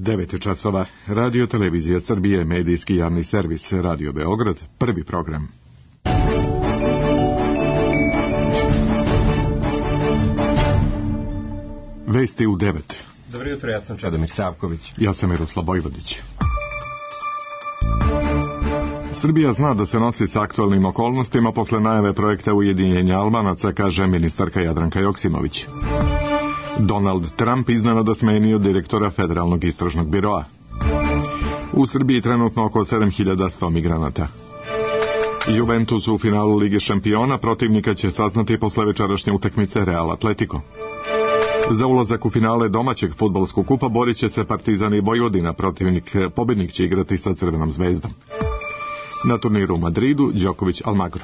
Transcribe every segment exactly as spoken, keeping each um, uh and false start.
devet časova. Radio Televizija Srbije, medijski javni servis, Radio Beograd, prvi program. Vesti u devet. Dobro jutro, ja sam Čedomir Savković. Ja sam Miroslav Bojvodić. Srbija zna da se nosi s aktualnim okolnostima posle najave projekta ujedinjenja Albanaca, kaže ministarka Jadranka Joksimović. Donald Trump iznenada smenio direktora Federalnog istražnog biroa. U Srbiji trenutno oko sedam hiljada sto migranata. Juventus u finalu Lige šampiona, protivnika će saznati posle večerašnje utakmice Real Atletico. Za ulazak u finale domaćeg fudbalskog kupa borit će se Partizan i Vojvodina, protivnik pobednik će igrati sa Crvenom zvezdom. Na turniru u Madridu Đoković Almagro.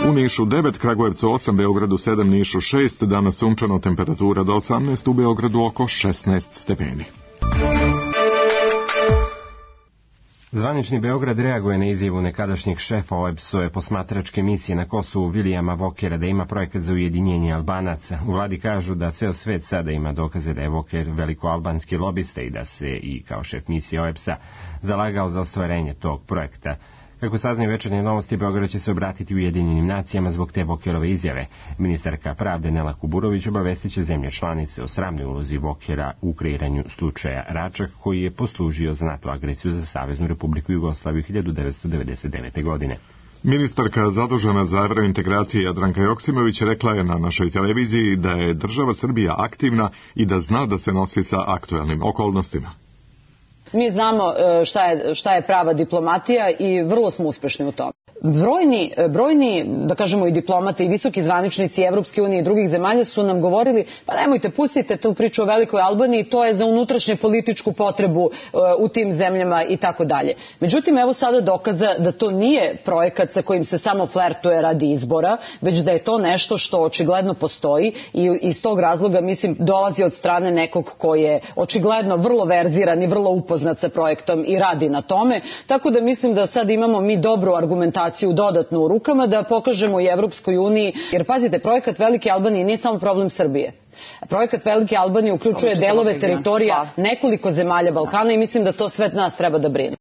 U Nišu devet, Kragujevcu osam, Beogradu sedam, Nišu šest, danas sunčano, temperatura do osamnaest, u Beogradu oko šesnaest stepeni. Zvanični Beograd reaguje na izjavu nekadašnjeg šefa O E B S-ove posmatračke misije na Kosovu Vilijama Vokera da ima projekat za ujedinjenje Albanaca. U vladi kažu da ceo svet sada ima dokaze da je Voker velikoalbanski lobista i da se i kao šef misije O E B S-a zalagao za ostvarenje tog projekta. Kako saznaju Večernje novosti, Beograd će se obratiti Ujedinjenim nacijama zbog te Vokerove izjave. Ministarka pravde Nela Kuburović obavestit će zemlje članice o sramnoj ulozi Vokera u kreiranju slučaja Račak, koji je poslužio za NATO agresiju za Saveznu Republiku Jugoslaviju hiljadu devetsto devedeset devete. godine. Ministarka zadužena za evrointegracije Jadranka Joksimović rekla je na našoj televiziji da je država Srbija aktivna i da zna da se nosi sa aktuelnim okolnostima. Mi znamo šta je, šta je prava diplomatija i vrlo smo uspešni u tome. Brojni, brojni, da kažemo i diplomate i visoki zvaničnici Evropske unije i drugih zemalja su nam govorili, pa nemojte, pustite tu priču o Velikoj Albaniji, to je za unutrašnje političku potrebu uh, u tim zemljama i tako dalje. Međutim, evo sada dokaza da to nije projekat sa kojim se samo flertuje radi izbora, već da je to nešto što očigledno postoji i iz tog razloga, mislim, dolazi od strane nekog ko je očigledno vrlo verziran i vrlo upoznat sa projektom i radi na tome, tako da mislim da sad imamo mi dobru argumentaciju dodatno u rukama da pokažemo i Evropskoj uniji, jer pazite, projekat Velike Albanije nije samo problem Srbije. Projekat Velike Albanije uključuje delove teritorija nekoliko zemalja Balkana i mislim da to sve nas treba da brine.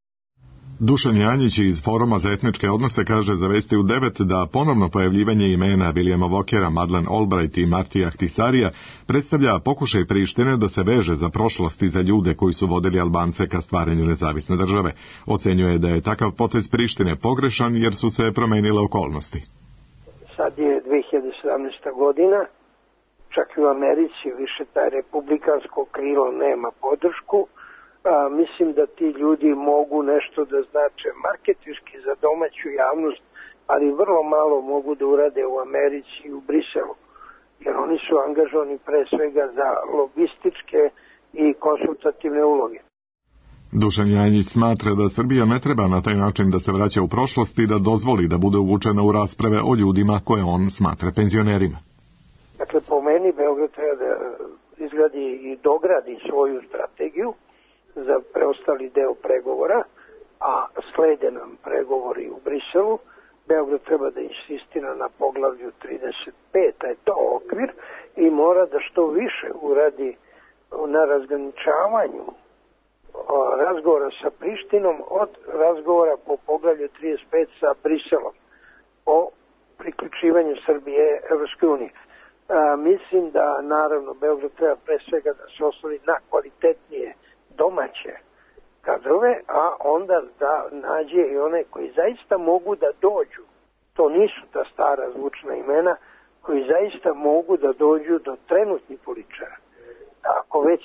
Dušan Janjić iz Foruma za etničke odnose kaže za Vesti u devet da ponovno pojavljivanje imena Vilijama Vokera, Madeleine Albright i Martija Ahtisarija predstavlja pokušaj Prištine da se veže za prošlost i za ljude koji su vodili Albance ka stvaranju nezavisne države. Ocenjuje da je takav potez Prištine pogrešan jer su se promenile okolnosti. Sad je dve hiljade sedamnaesta. godina, čak i u Americi više taj republikansko krilo nema podršku. A, mislim da ti ljudi mogu nešto da znače marketinški za domaću javnost, ali vrlo malo mogu da urade u Americi i u Briselu, jer oni su angažovani pre svega za logističke i konsultativne uloge. Dušan Janjić smatra da Srbija ne treba na taj način da se vraća u prošlost i da dozvoli da bude uvučena u rasprave o ljudima koje on smatra penzionerima. Dakle, po meni Beograd treba da izgradi i dogradi svoju strategiju za preostali deo pregovora, a slede nam pregovori u Briselu. Beograd treba da insistira na poglavlju trideset pet, a je to okvir, i mora da što više uradi na razgraničavanju razgovora sa Prištinom od razgovora po poglavlju trideset pet sa Briselom o priključivanju Srbije Evropskoj uniji. Mislim da, naravno, Beograd treba pre svega da se osloni na kvalitetnije domaće kadrove, a onda da nađe i one koji zaista mogu da dođu. To nisu ta stara zvučna imena, koji zaista mogu da dođu do trenutnih političara. Ako već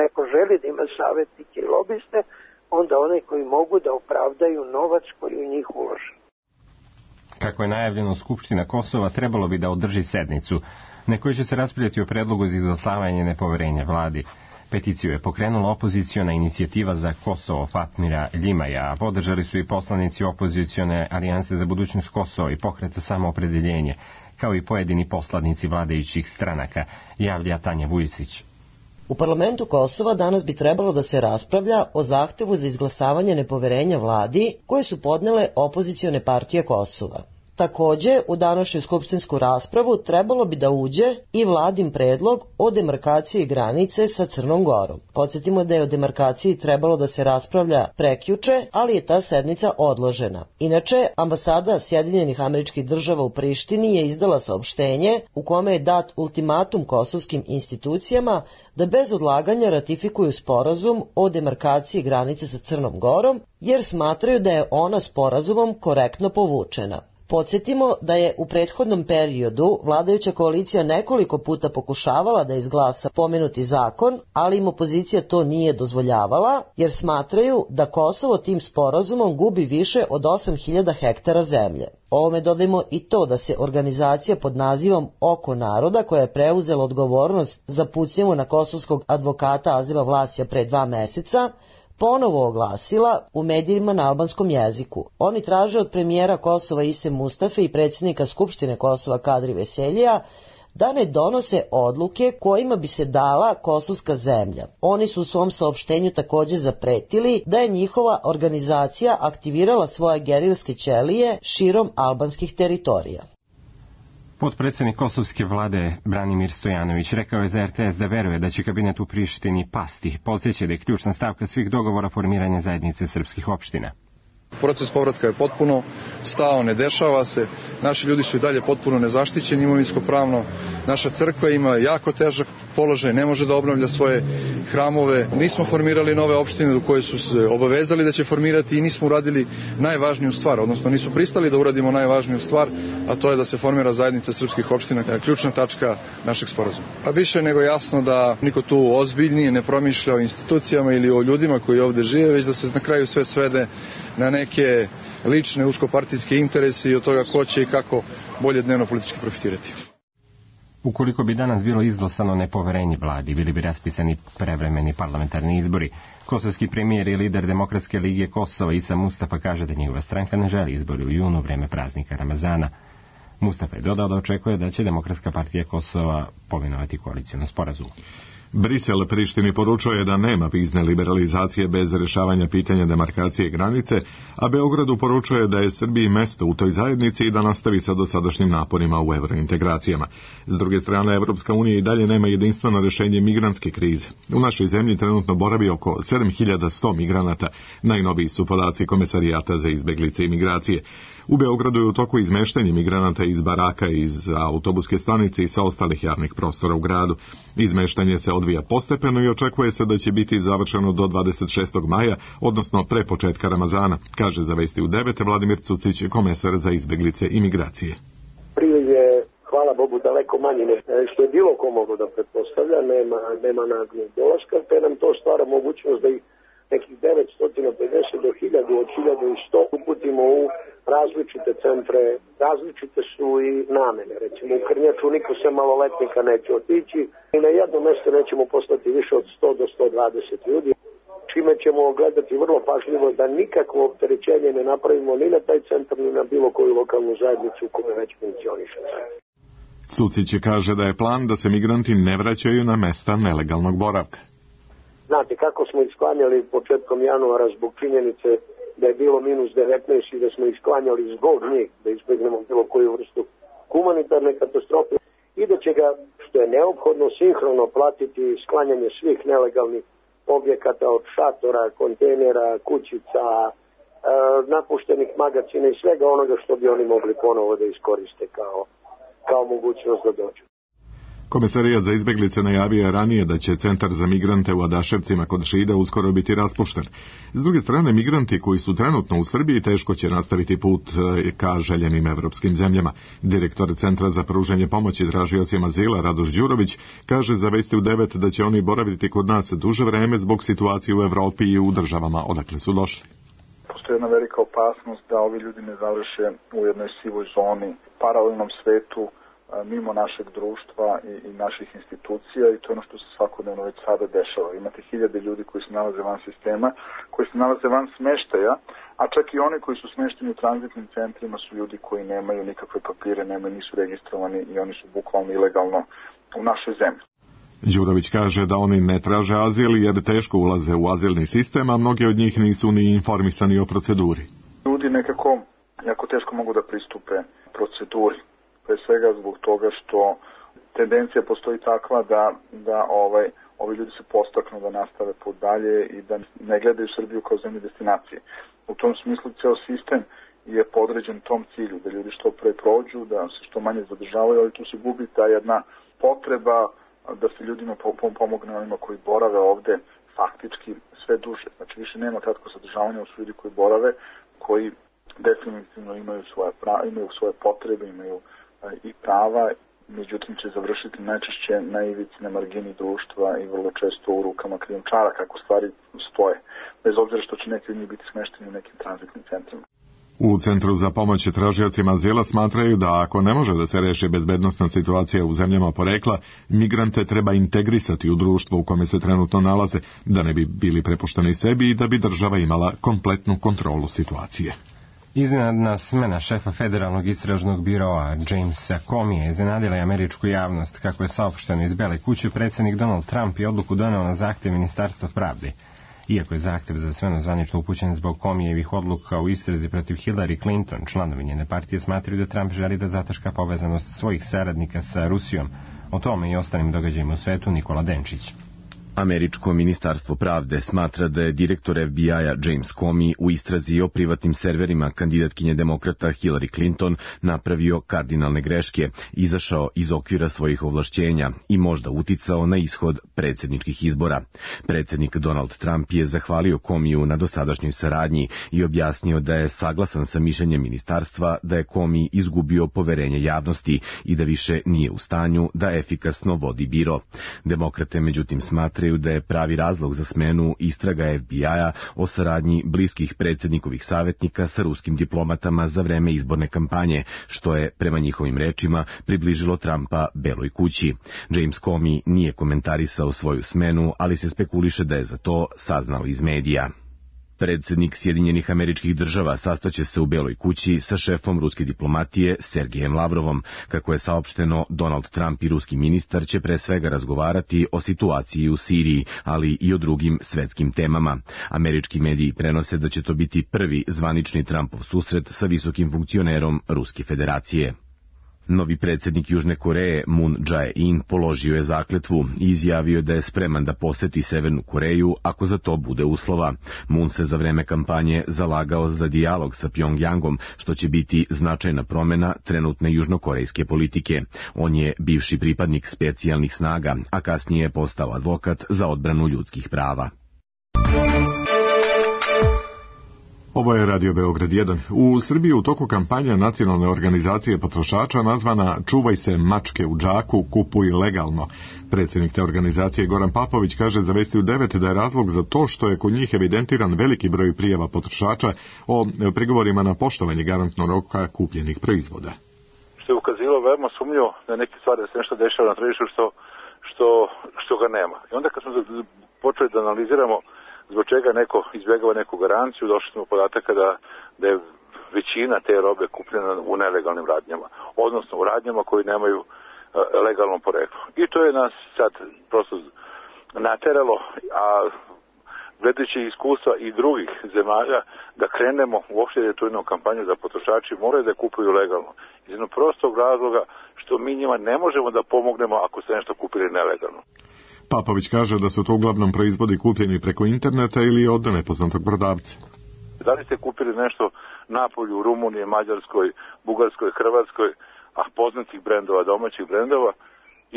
neko želi da ima savjetnike i lobiste, onda one koji mogu da opravdaju novac koji u njih uložen. Kako je najavljeno, Skupština Kosova trebalo bi da održi sednicu na kojoj će se raspravljati o predlogu za izglasavanje nepoverenja vladi. Peticiju je pokrenula opoziciona inicijativa za Kosovo Fatmira Ljimaja, a podržali su i poslanici opozicione alijanse za budućnost Kosova i pokreta Samoopredeljenje, kao i pojedini poslanici vladajućih stranaka, javlja Tanja Vujisić. U parlamentu Kosova danas bi trebalo da se raspravlja o zahtevu za izglasavanje nepoverenja vladi koje su podnele opozicione partije Kosova. Takođe, u današnju skupštinsku raspravu trebalo bi da uđe i vladin predlog o demarkaciji granice sa Crnom Gorom. Podsjetimo da je o demarkaciji trebalo da se raspravlja prekjuče, ali je ta sednica odložena. Inače, ambasada Sjedinjenih Američkih Država u Prištini je izdala saopštenje u kome je dat ultimatum kosovskim institucijama da bez odlaganja ratifikuju sporazum o demarkaciji granice sa Crnom Gorom, jer smatraju da je ona sporazumom korektno povučena. Podsjetimo da je u prethodnom periodu vladajuća koalicija nekoliko puta pokušavala da izglasa pomenuti zakon, ali im opozicija to nije dozvoljavala, jer smatraju da Kosovo tim sporazumom gubi više od osam hiljada hektara zemlje. Ovome dodajmo i to da se organizacija pod nazivom Oko naroda, koja je preuzela odgovornost za pucnjavu na kosovskog advokata Azima Vlasija pre dva meseca, ponovo oglasila u medijima na albanskom jeziku. Oni traže od premijera Kosova Ise Mustafe i predsjednika Skupštine Kosova Kadri Veseljija da ne donose odluke kojima bi se dala kosovska zemlja. Oni su u svom saopštenju također zapretili da je njihova organizacija aktivirala svoje gerilske ćelije širom albanskih teritorija. Potpredsjednik kosovske vlade Branimir Stojanović rekao je za er te es da veruje da će kabinet u Prištini pasti. Podsjeća da je ključna stavka svih dogovora formiranja zajednice srpskih opština. Proces povratka je potpuno stao, ne dešava se. Naši ljudi su i dalje potpuno nezaštićeni imovinsko-pravno. Naša crkva ima jako težak položaj, ne može da obnavlja svoje hramove. Nismo formirali nove opštine do koje su se obavezali da će formirati i nismo uradili najvažniju stvar, odnosno nisu pristali da uradimo najvažniju stvar, a to je da se formira zajednica srpskih opština, ključna tačka našeg sporazuma. A više nego jasno da niko tu ozbiljnije ne promišlja o institucijama ili o ljudima koji ovde žive, već da se na kraju sve svede na neke lične uskopartijske interese i od toga ko će i kako bolje dnevno politički profitirati. Ukoliko bi danas bilo izglasano nepoverenje vladi, bili bi raspisani prevremeni parlamentarni izbori. Kosovski premijer i lider Demokratske lige Kosova Isa Mustafa kaže da njegova stranka ne želi izbori u junu, vreme praznika Ramazana. Mustafa je dodao da očekuje da će Demokratska partija Kosova pomenovati koalicijnu sporazum. Brisel Prištini poručuje da nema vizne liberalizacije bez rješavanja pitanja demarkacije granice, a Beogradu poručuje da je Srbiji mesto u toj zajednici i da nastavi sa dosadašnjim naporima u evrointegracijama. S druge strane, Evropska unija i dalje nema jedinstveno rješenje migrantske krize. U našoj zemlji trenutno boravi oko sedam hiljada sto migranata, najnoviji su podaci Komesarijata za izbeglice i migracije. U Beogradu je u toku izmeštanje migranata iz baraka, iz autobuske stanice i sa ostalih javnih prostora u gradu. Izmeštanje se odvija postepeno i očekuje se da će biti završeno do dvadeset šestog maja, odnosno pre početka Ramazana, kaže za Vesti u devet Vladimir Cucić, komesar za izbeglice i migracije. Priliv je, hvala Bogu, daleko manji nego što je bilo ko moglo da pretpostavlja, nema, nema naglog dolaska, te nam to stvara mogućnost da ih nekih devetsto pedeset do hiljadu, od hiljadu i sto uputimo u različite centre, različite su i namene. Recimo u Krnjaču niko se maloletnika neće otići i na jedno mjesto nećemo poslati više od sto do sto dvadeset ljudi, čime ćemo gledati vrlo pažljivo da nikakvo opterećenje ne napravimo ni na taj centar ni na bilo koju lokalnu zajednicu koja već funkcioniše. Cucić kaže da je plan da se migranti ne vraćaju na mesta nelegalnog boravka. Znate, kako smo isklanjali početkom januara zbog činjenice da je bilo minus devetnaest i da smo isklanjali zbog njih, da izbjegnemo bilo koju vrstu humanitarne katastrofe i da će ga, što je neophodno, sinhrono platiti sklanjanje svih nelegalnih objekata od šatora, kontejnera, kućica, e, napuštenih magacina i svega onoga što bi oni mogli ponovo da iskoriste kao, kao mogućnost da dođu. Komesarijat za izbeglice najavio je ranije da će centar za migrante u Adaševcima kod Šida uskoro biti raspušten. S druge strane, migranti koji su trenutno u Srbiji teško će nastaviti put ka željenim evropskim zemljama. Direktor Centra za pružanje pomoći tražiocima azila Radoš Đurović kaže za Vesti u devet da će oni boraviti kod nas duže vreme zbog situacije u Evropi i u državama odakle su došli. Postoji jedna velika opasnost da ovi ljudi ne završe u jednoj sivoj zoni, paralelnom svetu, mimo našeg društva i, i naših institucija i to je ono što se svakodnevno već sada dešava. Imate hiljade ljudi koji se nalaze van sistema, koji se nalaze van smeštaja, a čak i oni koji su smešteni u tranzitnim centrima su ljudi koji nemaju nikakve papire, nemaju, nisu registrovani i oni su bukvalno ilegalno u našoj zemlji. Đurović kaže da oni ne traže azil jer teško ulaze u azilni sistem, a mnogi od njih nisu ni informisani o proceduri. Ljudi nekako jako teško mogu da pristupe proceduri. Pre svega zbog toga što tendencija postoji takva da, da ovaj, ovi ljudi se postaknu da nastave put dalje i da ne gledaju Srbiju kao zemlju destinacije. U tom smislu ceo sistem je podređen tom cilju, da ljudi što pre prođu, da se što manje zadržavaju, ali tu se gubi ta jedna potreba da se ljudima pomogne onima koji borave ovde faktički sve duže. Znači više nema kratkog zadržavanja, u ljudi koji borave, koji definitivno imaju svoje, prava, imaju svoje potrebe, imaju i prava, međutim će završiti najčešće na ivici, na margini društva i vrlo često u rukama krijumčara kako stvari stoje, bez obzira što će neki od njih biti smešteni u nekim tranzitnim centrima. U Centru za pomoć tražiocima azila smatraju da ako ne može da se reši bezbednosna situacija u zemljama porekla, migrante treba integrisati u društvo u kome se trenutno nalaze, da ne bi bili prepušteni sebi i da bi država imala kompletnu kontrolu situacije. Iznenadna smena šefa federalnog istražnog biroa Jamesa Comeyja iznenadila je američku javnost. Kako je saopšteno iz Bele kuće, predsjednik Donald Trump je odluku doneo na zahtev Ministarstva pravde. Iako je zahtev za smenu zvanično upućen zbog Comeyjevih odluka u istrazi protiv Hillary Clinton, članovi njene partije smatraju da Trump želi da zataška povezanost svojih saradnika sa Rusijom. O tome i ostalim događajima u svetu Nikola Denčić. Američko ministarstvo pravde smatra da je direktor F B I-a James Comey u istrazi o privatnim serverima kandidatkinje demokrata Hillary Clinton napravio kardinalne greške, izašao iz okvira svojih ovlašćenja i možda uticao na ishod predsjedničkih izbora. Predsjednik Donald Trump je zahvalio Comeyju na dosadašnjoj saradnji i objasnio da je saglasan sa mišljenjem ministarstva da je Comey izgubio poverenje javnosti i da više nije u stanju da efikasno vodi biro. Demokrate međutim smatraju da je pravi razlog za smenu istraga F B I-a o saradnji bliskih predsjednikovih savjetnika sa ruskim diplomatama za vreme izborne kampanje, što je, prema njihovim rečima, približilo Trumpa Beloj kući. James Comey nije komentarisao svoju smenu, ali se spekuliše da je za to saznao iz medija. Predsjednik Sjedinjenih Američkih Država sastaće se u Beloj kući sa šefom ruske diplomatije Sergejem Lavrovom. Kako je saopšteno, Donald Trump i ruski ministar će pre svega razgovarati o situaciji u Siriji, ali i o drugim svetskim temama. Američki mediji prenose da će to biti prvi zvanični Trumpov susret sa visokim funkcionerom Ruske federacije. Novi predsjednik Južne Koreje Moon Jae-in položio je zakletvu i izjavio da je spreman da poseti Severnu Koreju ako za to bude uslova. Moon se za vreme kampanje zalagao za dijalog sa Pjongjangom, što će biti značajna promjena trenutne južnokorejske politike. On je bivši pripadnik specijalnih snaga, a kasnije je postao advokat za odbranu ljudskih prava. Ovo je Radio Beograd jedan. U Srbiji u toku kampanja nacionalne organizacije potrošača nazvana Čuvaj se mačke u džaku, kupuj legalno. Predsjednik te organizacije Goran Papović kaže za Vesti u devet da je razlog za to što je kod njih evidentiran veliki broj prijava potrošača o prigovorima na poštovanje garantnog roka kupljenih proizvoda. Što je ukazivalo veoma sumnjivo na neke stvari da se nešto dešava na tržištu što, što, što ga nema. I onda kad smo počeli da analiziramo zbog čega neko izbjegava neku garanciju, došli smo podataka da, da je većina te robe kupljena u nelegalnim radnjama, odnosno u radnjama koji nemaju uh, legalno poreklo. I to je nas sad prosto nateralo, a gledajući iskustva i drugih zemalja, da krenemo uopšte da je tu jednu kampanju za potrošači moraju da kupuju legalno. Iz jednog prostog razloga što mi njima ne možemo da pomognemo ako se nešto kupili nelegalno. Papović kaže da su to uglavnom proizvodi kupljeni preko interneta ili od nepoznatog prodavca. Da li ste kupili nešto napolju u Rumuniji, Mađarskoj, Bugarskoj, Hrvatskoj, a poznatih brendova, domaćih brendova,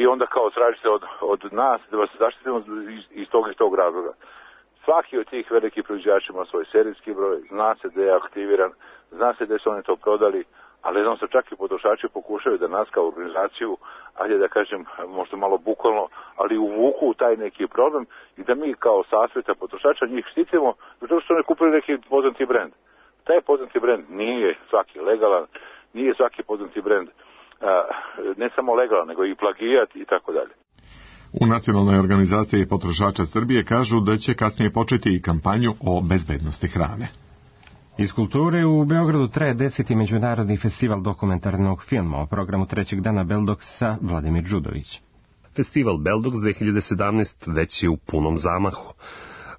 i onda kao tražite od, od nas da vas zaštitimo iz, iz tog i tog razloga. Svaki od tih velikih proizvođača ima svoj serijski broj, zna se da je aktiviran, zna se da su oni to prodali, ali znam se čak i potrošači pokušaju da nas kao organizaciju, ajde da kažem, možda malo bukvalno, ali uvuku u taj neki problem i da mi kao sasveta potrošača njih štitimo zato što ne kupili neki poznati brend. Taj poznati brend nije svaki legalan, nije svaki poznati brend ne samo legalan, nego i plagijat i tako dalje. U Nacionalnoj organizaciji potrošača Srbije kažu da će kasnije početi i kampanju o bezbednosti hrane. Iz kulture u Beogradu traje deseti međunarodni festival dokumentarnog filma o programu trećeg dana Beldoksa Vladimir Đudović. Festival Beldoks dve hiljade sedamnaeste već je u punom zamahu.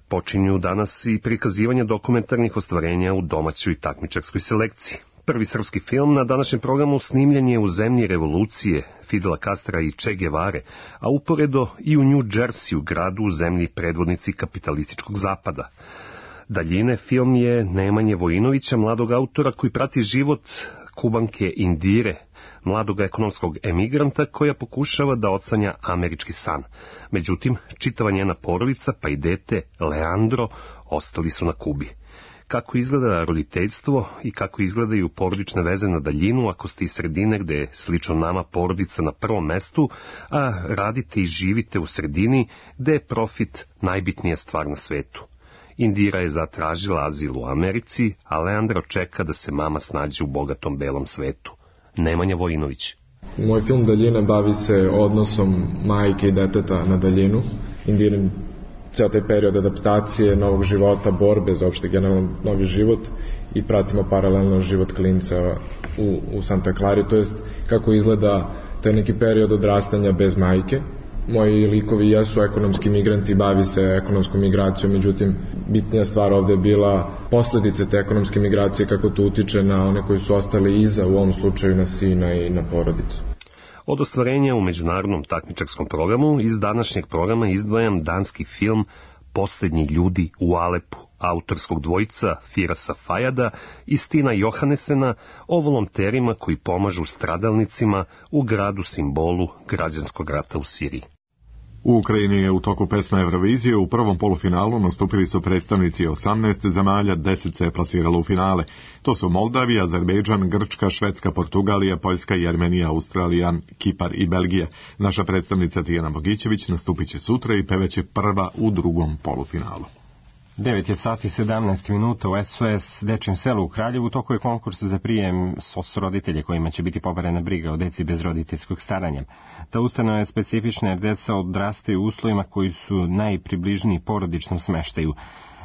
Počinju danas i prikazivanje dokumentarnih ostvarenja u domaćoj takmičarskoj selekciji. Prvi srpski film na današnjem programu snimljen je u zemlji revolucije Fidela Castra i Che Guevare, a uporedo i u New Jersey, gradu u zemlji predvodnici kapitalističkog zapada. Daljine film je Nemanje Vojinovića, mladog autora koji prati život Kubanke Indire, mladog ekonomskog emigranta koja pokušava da odsanja američki san. Međutim, čitava njena porodica pa i dete Leandro ostali su na Kubi. Kako izgleda roditeljstvo i kako izgledaju porodične veze na daljinu ako ste iz sredine gde je slično nama porodica na prvom mestu, a radite i živite u sredini gde je profit najbitnija stvar na svetu. Indira je zatražila azil u Americi, a Leandro čeka da se mama snađe u bogatom belom svetu. Nemanja Vojinović. Moj film Daljina bavi se odnosom majke i deteta na daljinu. Indirin cijel taj period adaptacije, novog života, borbe za opšte generalno novi život i pratimo paralelno život klinca u, u Santa Clari, to jest kako izgleda taj neki period odrastanja bez majke. Moji likovi jesu ekonomski migranti, bavi se ekonomskom migracijom, međutim bitnija stvar ovde je bila posledice te ekonomske migracije, kako to utiče na one koji su ostali iza, u ovom slučaju na sina i na porodicu. Od ostvarenja u međunarodnom takmičarskom programu iz današnjeg programa izdvajam danski film Poslednji ljudi u Alepu, autorskog dvojica Firasa Fajada i Stina Johannesena o volonterima koji pomažu stradalnicima u gradu simbolu građanskog rata u Siriji. U Ukrajini je u toku pesme Eurovizije u prvom polufinalu nastupili su predstavnici osamnaest zemalja, deset se je plasiralo u finale. To su Moldavija, Azerbejdžan, Grčka, Švedska, Portugalija, Poljska, Jermenija, Australija, Kipar i Belgija. Naša predstavnica Tijana Bogićević nastupit će sutra i pevaće prva u drugom polufinalu. devet je sati sedamnaest minuta u S O S Dečjem selu u Kraljevu. Toko je konkurs za prijem S O S roditelje kojima će biti poverena briga o deci bez roditeljskog staranja. Ta ustanova je specifična jer deca odrastaju u uslovima koji su najpribližniji porodičnom smeštaju.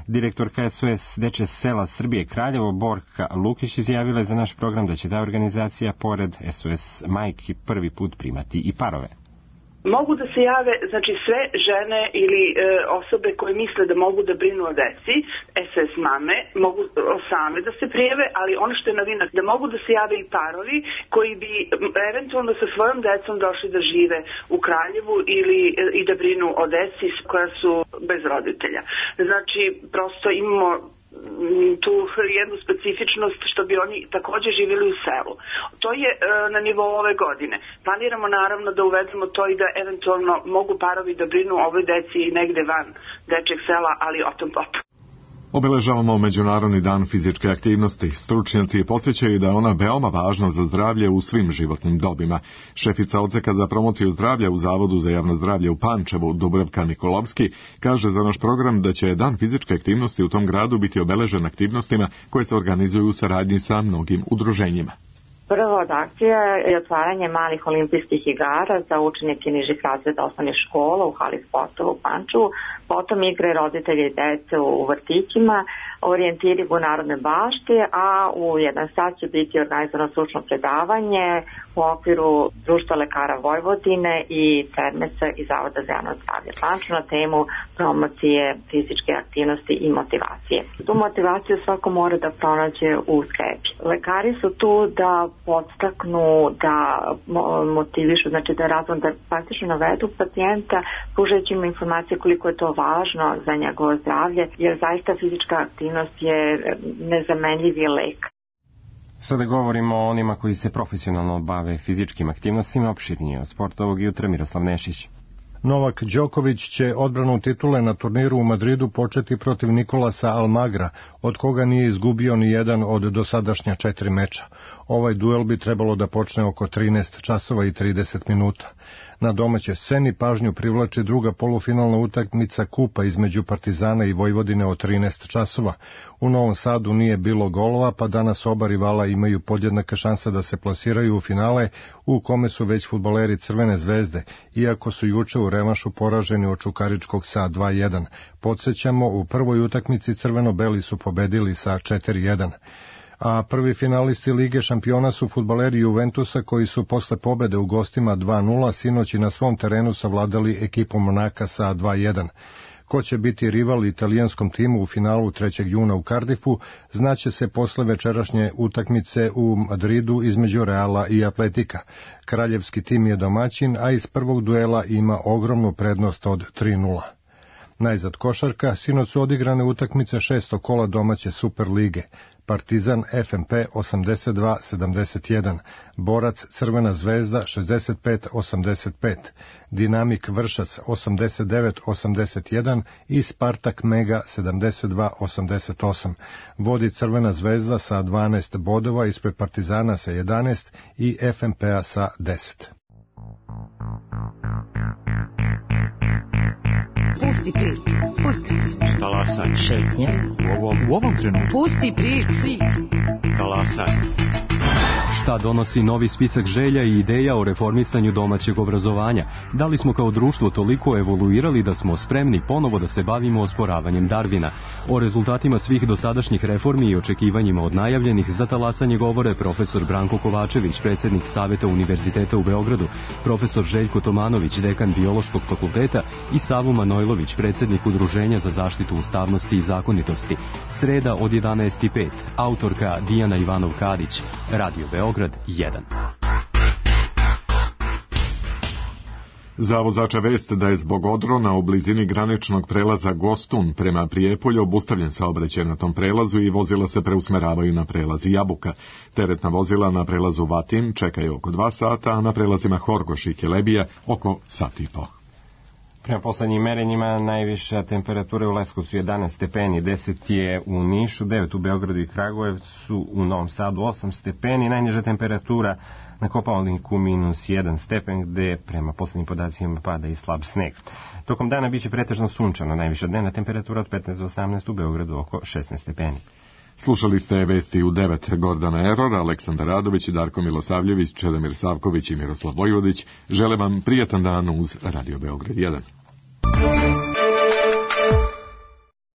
Direktorka S O S Dečje sela Srbije Kraljevo Borka Lukić izjavila je za naš program da će ta organizacija pored S O S majki prvi put primati i parove. Mogu da se jave, znači sve žene ili e, osobe koje misle da mogu da brinu o deci, S O S mame, mogu same da se prijave, ali ono što je novina, da mogu da se jave i parovi koji bi eventualno sa svojom decom došli da žive u Kraljevu ili e, i da brinu o deci koja su bez roditelja. Znači, prosto imamo tu jednu specifičnost što bi oni također živjeli u selu. To je e, na nivou ove godine. Planiramo naravno da uvedemo to i da eventualno mogu parovi da brinu o ovoj deci negde van dečjeg sela, ali o tom potom. Obeležavamo Međunarodni dan fizičke aktivnosti. Stručnjaci podsjećaju da je ona veoma važna za zdravlje u svim životnim dobima. Šefica odseka za promociju zdravlja u Zavodu za javno zdravlje u Pančevu, Dubravka Nikolovski, kaže za naš program da će dan fizičke aktivnosti u tom gradu biti obeležen aktivnostima koje se organizuju u saradnji sa mnogim udruženjima. Prva od akcija je otvaranje malih olimpijskih igara za učenike nižih razreda osnovnih škola u hali sportova u Pančevu, potom igre roditelji i dece u vrtićima, orijentiri u Narodne bašti, a u jedan sat će biti organizovano stručno predavanje u okviru Društva lekara Vojvodine i Termesa i Zavoda za javno zdravlje Pančeva na temu promocije fizičke aktivnosti i motivacije. Tu motivaciju svako mora da pronađe u sebi. Lekari su tu da podstaknu, da motivišu, znači da razvoj, da praktično navedu pacijenta, pružajući mu informacije koliko je to važno za njegovo zdravlje, jer zaista fizička aktivnost je nezamenljivi lek. Sada govorimo o onima koji se profesionalno bave fizičkim aktivnostima. Opširnije od sporta ovog jutra Miroslav Nešić. Novak Đoković će odbranu titule na turniru u Madridu početi protiv Nikolasa Almagra, od koga nije izgubio ni jedan od dosadašnja četiri meča. Ovaj duel bi trebalo da počne oko trinaest časova i trideset minuta. Na domaćoj sceni pažnju privlači druga polufinalna utakmica kupa između Partizana i Vojvodine od trinaest časova. U Novom Sadu nije bilo golova, pa danas oba rivala imaju podjednaka šansa da se plasiraju u finale, u kome su već fudbaleri Crvene zvezde, iako su juče u revanšu poraženi od Čukaričkog sa dva jedan. Podsjećamo, u prvoj utakmici crveno-beli su pobedili sa četiri jedan. A prvi finalisti Lige šampiona su fudbaleri Juventusa koji su posle pobede u gostima dva nula sinoć i na svom terenu savladali ekipu Monaka sa dva jedan. Ko će biti rival italijanskom timu u finalu trećeg juna u Cardiffu, znaće se posle večerašnje utakmice u Madridu između Reala i Atletika. Kraljevski tim je domaćin, a iz prvog duela ima ogromnu prednost od tri nula. Najzad košarka, sinoć su odigrane utakmice šestog kola domaće Superlige. Partizan F M P osamdeset dva sedamdeset jedan, Borac Crvena zvezda šezdeset pet osamdeset pet, Dinamik Vršac osamdeset devet osamdeset jedan i Spartak Mega sedamdeset dva osamdeset osam. Vodi Crvena zvezda sa dvanaest bodova, ispred Partizana sa jedanaest i F M P-a sa deset. Pusti priču, pusti priču. Talasaj. Šetnja. U ovom, u ovom trenutku. Pusti priču. Talasaj. Šta donosi novi spisak želja i ideja o reformisanju domaćeg obrazovanja? Da li smo kao društvo toliko evoluirali da smo spremni ponovo da se bavimo osporavanjem Darvina? O rezultatima svih dosadašnjih reformi i očekivanjima od najavljenih za talasanje govore profesor Branko Kovačević, predsjednik Saveta Univerziteta u Beogradu, profesor Željko Tomanović, dekan Biološkog fakulteta i Savo Manojlović, predsjednik Udruženja za zaštitu ustavnosti i zakonitosti. Sreda od jedanaest i pet. Autorka Dijana Ivanov-Kadić. Radio Beograd jedan. Zavod Zača vest da je zbog odrona u blizini graničnog prelaza Gostun prema Prijepolju obustavljen saobraćaj na tom prelazu i vozila se preusmeravaju na prelazi Jabuka. Teretna vozila na prelazu Vatin čekaju oko dva sata, a na prelazima Horgoš i Kelebija oko sat i po. Prema poslednjim merenjima najviša temperatura u Leskovcu jedanaest stepeni, deset je u Nišu, devet u Beogradu i Kragujevcu, u Novom Sadu osam stepeni, najniža temperatura na Kopaoniku minus jedan stepen, gde prema poslednjim podacima pada i slab sneg. Tokom dana biće pretežno sunčano, najviša dnevna temperatura od petnaest do osamnaest, u Beogradu oko šesnaest stepeni. Slušali ste vesti u devet. Gordana Eror, Aleksandar Radović, Darko Milosavljević, Čedomir Savković i Miroslav Vojvodić. Žele vam prijatan dan uz Radio Beograd jedan.